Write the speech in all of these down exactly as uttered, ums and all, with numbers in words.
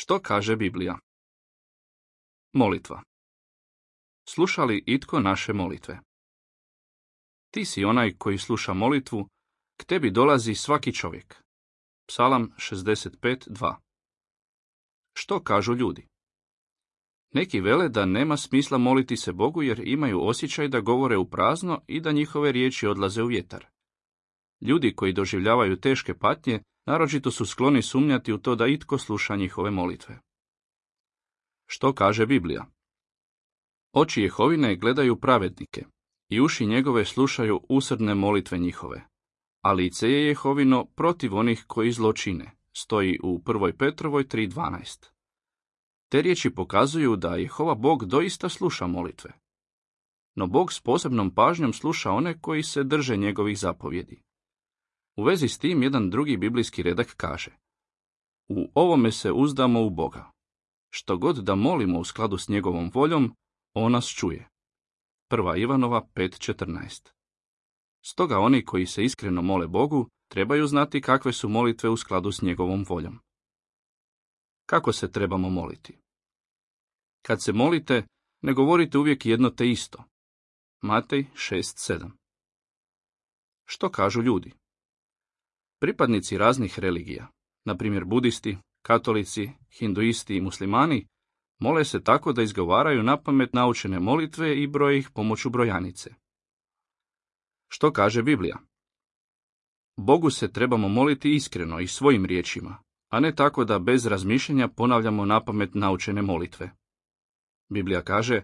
Što kaže Biblija? Molitva. Sluša li itko naše molitve? Ti si onaj koji sluša molitvu, k tebi dolazi svaki čovjek. Psalam šezdeset pet dva. Što kažu ljudi? Neki vele da nema smisla moliti se Bogu jer imaju osjećaj da govore u prazno i da njihove riječi odlaze u vjetar. Ljudi koji doživljavaju teške patnje naročito su skloni sumnjati u to da itko sluša njihove molitve. Što kaže Biblija? Oči Jehovine gledaju pravednike i uši njegove slušaju usrdne molitve njihove, a lice je Jehovino protiv onih koji zlo čine, stoji u prvoj Petrovoj tri dvanaest. Te riječi pokazuju da Jehova Bog doista sluša molitve. No Bog s posebnom pažnjom sluša one koji se drže njegovih zapovjedi. U vezi s tim jedan drugi biblijski redak kaže: U ovome se uzdamo u Boga. Što god da molimo u skladu s njegovom voljom, on nas čuje. Prva Ivanova pet četrnaest. Stoga oni koji se iskreno mole Bogu trebaju znati kakve su molitve u skladu s njegovom voljom. Kako se trebamo moliti? Kad se molite, ne govorite uvijek jedno te isto. Matej šest sedam. Što kažu ljudi? Pripadnici raznih religija, na primjer budisti, katolici, hinduisti i muslimani, mole se tako da izgovaraju napamet naučene molitve i broje ih pomoću brojanice. Što kaže Biblija? Bogu se trebamo moliti iskreno i svojim riječima, a ne tako da bez razmišljanja ponavljamo napamet naučene molitve. Biblija kaže: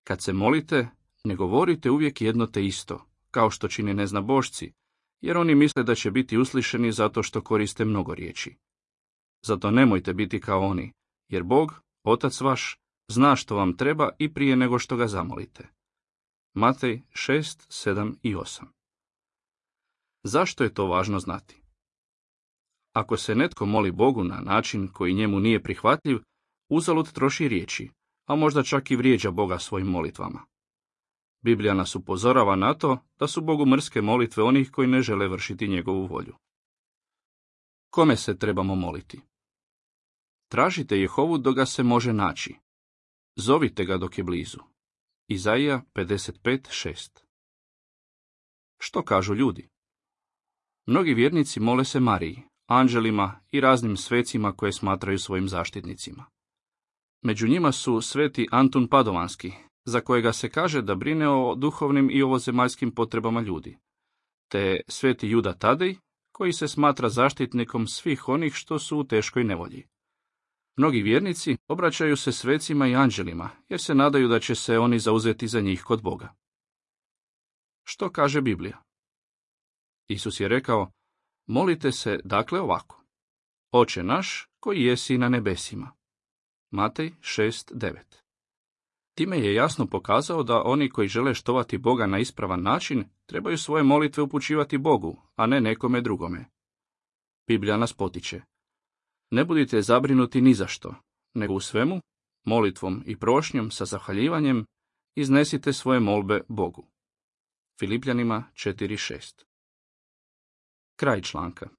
Kad se molite, ne govorite uvijek jedno te isto, kao što čine neznabošci, jer oni misle da će biti uslišeni zato što koriste mnogo riječi. Zato nemojte biti kao oni, jer Bog, Otac vaš, zna što vam treba i prije nego što ga zamolite. Matej šest sedam i osam. Zašto je to važno znati? Ako se netko moli Bogu na način koji njemu nije prihvatljiv, uzalud troši riječi, a možda čak i vrijeđa Boga svojim molitvama. Biblija nas upozorava na to da su Bogu mrske molitve onih koji ne žele vršiti njegovu volju. Kome se trebamo moliti? Tražite Jehovu dok ga se može naći. Zovite ga dok je blizu. Izaija pedeset pet šest. Što kažu ljudi? Mnogi vjernici mole se Mariji, anđelima i raznim svecima koje smatraju svojim zaštitnicima. Među njima su sveti Antun Padovanski, za kojega se kaže da brine o duhovnim i ovozemaljskim potrebama ljudi, te sveti Juda Tadej, koji se smatra zaštitnikom svih onih što su u teškoj nevolji. Mnogi vjernici obraćaju se svecima i anđelima, jer se nadaju da će se oni zauzeti za njih kod Boga. Što kaže Biblija? Isus je rekao: Molite se dakle ovako: Oče naš koji jesi na nebesima. Matej šest devet. Time je jasno pokazao da oni koji žele štovati Boga na ispravan način trebaju svoje molitve upućivati Bogu, a ne nekome drugome. Biblija nas potiče: Ne budite zabrinuti ni za što, nego u svemu, molitvom i prošnjom sa zahvaljivanjem, iznesite svoje molbe Bogu. Filipljanima četiri šest. Kraj članka.